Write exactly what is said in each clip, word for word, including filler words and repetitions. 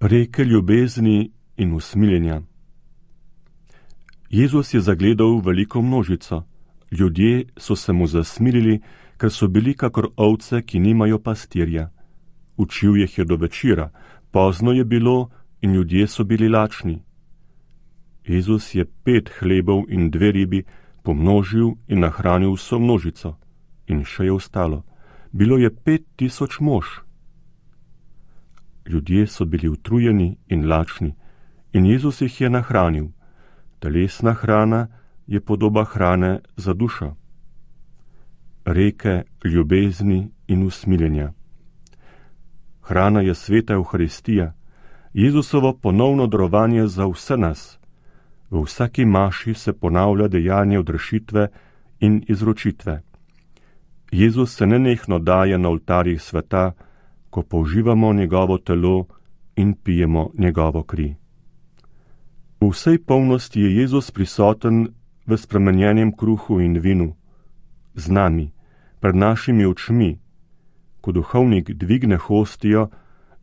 Reke ljubezni in usmiljenja. Jezus je zagledal veliko množico. Ljudje so se mu zasmilili, ker so bili kakor ovce, ki nimajo pastirja. Učil jih je do večera, pozno je bilo in ljudje so bili lačni. Jezus je pet hlebov in dve ribi pomnožil in nahranil vso množico. In še je ostalo. Bilo je pet tisoč mož. Ljudje so bili utrujeni in lačni in Jezus jih je nahranil. Telesna hrana je podoba hrane za dušo. Reke ljubezni in usmiljenja. Hrana je sveta Evharistija, Jezusovo ponovno darovanje za vse nas. V vsaki maši se ponavlja dejanje odrešitve in izročitve. Jezus se nenehno daje na oltarjih sveta, ko použivamo njegovo telo in pijemo njegovo kri. V vsej polnosti je Jezus prisoten v spremenjenem kruhu in vinu, z nami, pred našimi očmi. Ko duhovnik dvigne hostijo,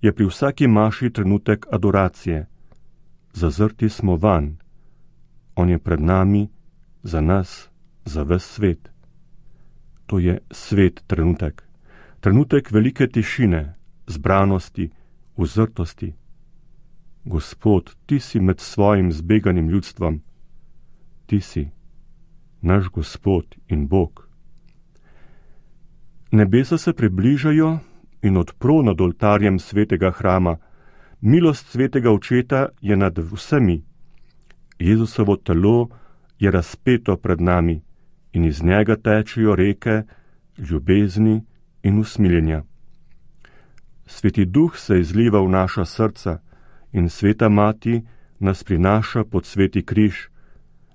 je pri vsaki maši trenutek adoracije. Zazrti smo vanj. On je pred nami, za nas, za ves svet. To je svet trenutek. Trenutek velike tišine, zbranosti, uzrtosti. Gospod, ti si med svojim zbeganim ljudstvom. Ti si, naš Gospod in Bog. Nebesa se približajo in odpro nad oltarjem svetega hrama. Milost svetega očeta je nad vsemi. Jezusovo telo je razpeto pred nami in iz njega tečejo reke ljubezni in usmiljenja. Sveti Duh se izliva v naša srca in Sveta Mati nas prinaša pod sveti križ,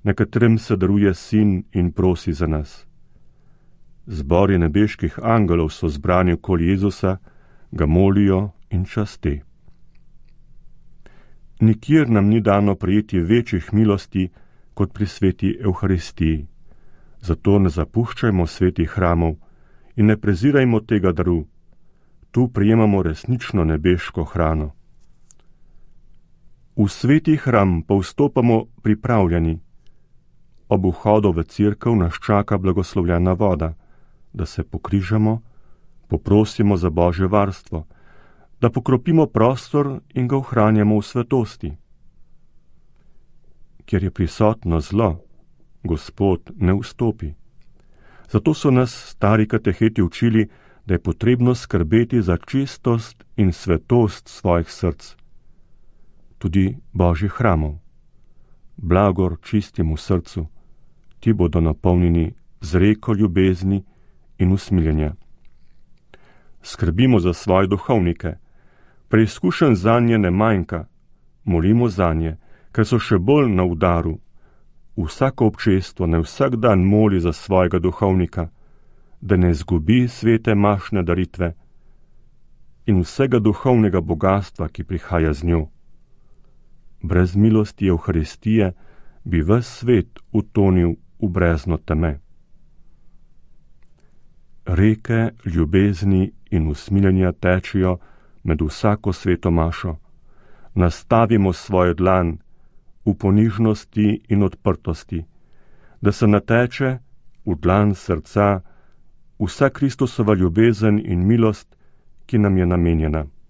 na katerem se daruje Sin in prosi za nas. Zbori nebeških angelov so zbrani okoli Jezusa, ga molijo in časti. Nikjer nam ni dano prejeti večjih milosti kot pri sveti Evharistiji. Zato ne zapuščajmo svetih hramov in ne prezirajmo tega daru. Tu prijemamo resnično nebeško hrano. V sveti hram pa vstopamo pripravljeni. Ob vhodu v cerkev nas čaka blagoslovljena voda, da se pokrižamo, poprosimo za Božje varstvo, da pokropimo prostor in ga ohranjamo v svetosti. Kjer je prisotno zlo, Gospod ne vstopi. Zato so nas stari kateheti učili, da je potrebno skrbeti za čistost in svetost svojih src, tudi Božjih hramov. Blagor čistim v srcu, ti bodo napolnjeni z reko ljubezni in usmiljenja. Skrbimo za svoje duhovnike, preizkušenj zanje ne manjka, molimo zanje, ker so še bolj na udaru. Vsako občestvo ne vsak dan moli za svojega duhovnika, da ne izgubi svete mašne daritve in vsega duhovnega bogatstva, ki prihaja z njo. Brez milosti Evharistije bi ves svet utonil v brezno teme. Reke ljubezni in usmiljenja tečejo med vsako sveto mašo. Nastavimo svojo dlan v ponižnosti in odprtosti, da se nateče v dlan srca vsa Kristusova ljubezen in milost, ki nam je namenjena.